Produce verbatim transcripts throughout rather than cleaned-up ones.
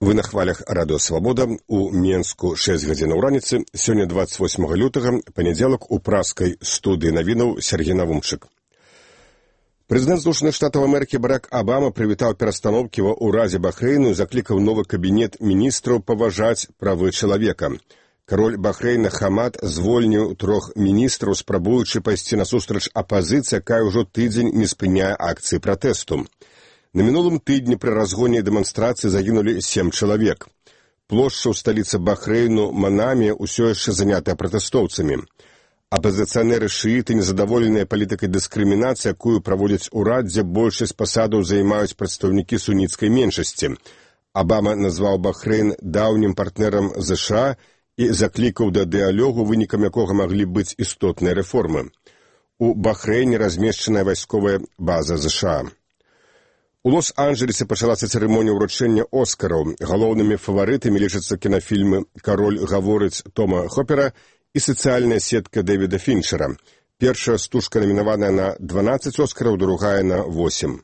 Вы на хвалях радыё «Свабода». У Менску шэсць гадзінаў раніцы. Сёння дваццаць восьмага лютага, панядзелак, у праскай студыі навінаў Сергей Навумчык. Прэзідэнт Злучаных Штатаў Амерыкі Барак Абама прывітаў перастаноўкі ва ўразе Бахрэйну і заклікаў новы кабінет міністраў паважаць правы чалавека. Кароль Бахрэйна Хамад звольніў трох міністраў, спрабуючы пайсці насустрач апазіцыі, якая ўжо тыдзень не спыняе акцыі пратэсту. На мінулым тыдні пры разгоне дэманстрацыі загінулі сем чалавек. Плошча ў сталіцы Бахрэйну Манаме ўсё яшчэ занятая пратэстоўцамі. Апазіцыянеры шыіты незадаволеныя палітыкай дыскрымінацыі, якую праводзяць урад, дзе большасць пасадаў займаюць прадстаўнікі суніцкай меншасці. Абама назваў Бахрэйн даўнім партнерам ЗША і заклікаў да дыялогу, вынікам якога маглі быць істотныя рэформы. У Бахрэйне размешчаная вайсковая база ЗША. У Лос-Анджелесе пачалася цырымонія ўручэння Оскараў. Галоўнымі фаварытамі лічацца кінафільмы «Кароль гаворыць» Тома Хопера і сацыяльная сетка Дэвіда Фінчера. Першая стужка намінаваная на дванаццаць Оскараў, другая на восем.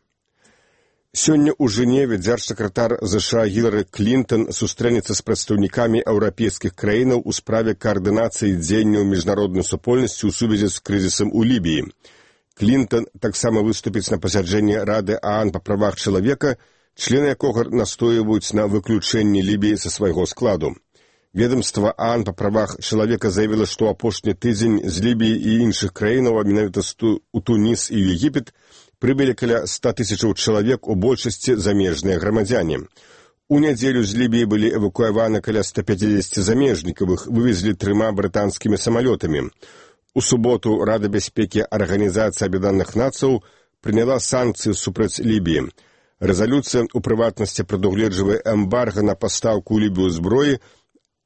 Сёння ў Жэневе дзяржсакратар ЗША Гілары Клінтон сустрэнецца з прадстаўнікамі еўрапейскіх краінаў у справе каардынацыі дзеянняў міжнароднай супольнасці ў сувязі з крызісам у Лібіі. Клінтон таксама выступіць на пасяджэнні Рады ААН па правах чалавека, члены якога настойваюць на выключэнні Лібіі са свайго складу. Ведомства ААН па правах чалавека заявіла, што апошні тыдзень з Лібіі і іншых краінаў, а менавіта у Туніс і Егіпет, прыбылі каля ста тысячаў чалавек, у большасці замежныя грамадзяне. У нядзелю з Лібіі былі эвакуяваны каля ста пяцідзесяці замежнікаў, іх вывезлі трыма брытанскімі самалётамі. У суботу Рада бяспекі Арганізацыі Аб'яднаных Нацыяў прыняла санкцыі супраць Лібіі. Рэзалюцыя у прыватнасці прадугледжвае эмбарга на пастаўку ў Лібію зброі,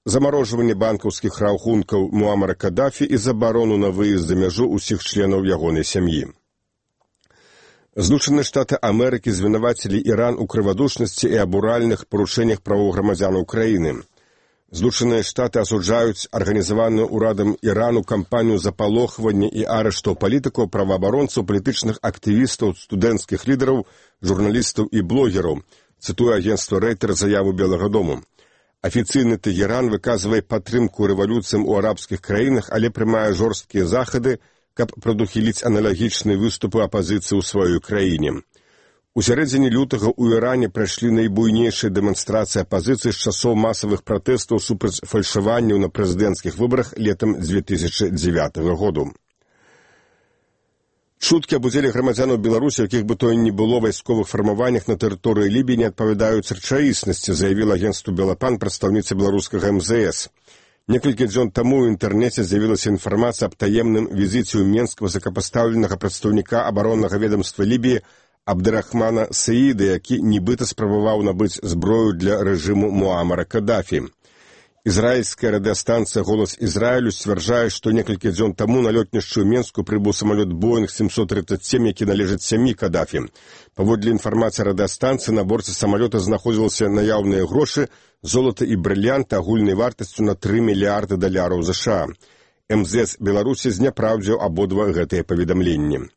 замарожванне банкаўскіх рахункаў Муамара Кадафі і забарону на выезд за мяжу ўсіх членаў ягонай сям'і. Злучаныя Штаты Амерыкі звінавацілі Іран у крывадушнасці і абуральных парушэннях правоў грамадзянаў краіны. Злучаныя Штаты асуджаюць арганізаваную ўрадам Ірану кампанію запалохвання і арыштаў палітыкаў, праваабаронцаў, палітычных актывістаў, студэнцкіх лідараў, журналістаў і блогераў, цытуе агенцтва Рэйтер заяву Белага дому. Афіцыйны Тэгеран выказвае падтрымку рэвалюцыям у арабскіх краінах, але прымае жорсткія захады, каб прадухіліць аналагічныя выступы апазіцыі ў сваёй краіне. У сярэдзіне лютага ў Іране прайшлі найбуйнейшыя дэманстрацыі апазіцыі з часоў масавых пратэстаў супраць фальшаванняў на прэзідэнцкіх выбарах летам дзве тысячы дзевятага году. Чуткі аб удзеле грамадзянаў Беларусі, якіх бы то ні было вайсковых фармаваннях на тэрыторыі Лібіі, не адпавядаюць рэчаіснасці, заявіла агенцтву Белапан прадстаўніца беларускага эм зэ эс. Некалькі дзён таму ў інтэрнэце з'явілася інфармацыя аб таемным візіце ў Менск высокапастаўленага прадстаўніка абароннага ведамства Лібіі Абдырахмана Саіда, які нібыта спрабаваў набыць зброю для рэжыму Муамара Кадафі. Ізраільская радыёстанцыя «Голас Ізраілю» сцвярджае, што некалькі дзён таму на лётнішчу ў Менску прыбыў самалёт Боінг сямсот трыццаць сем, які належыць сям'і Кадафі. Паводле інфармацыі радыёстанцыі, на борце самалёта знаходзіліся наяўныя грошы, золата і брыльянты агульнай вартасцю на тры мільярды даляраў ЗША. эм зэ эс Беларусі зняпраўдзіў абодва гэтыя паведамленні.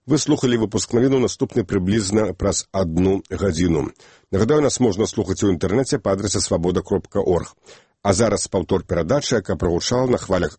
Вы слухалі выпуск навіну, наступны прыблізна праз адну гадзіну. Нагадаю, нас можна слухаць у інтэрнэце па адрасе свабода кропка орг. А зараз паўтор перадачы, яка прагучала на хвалях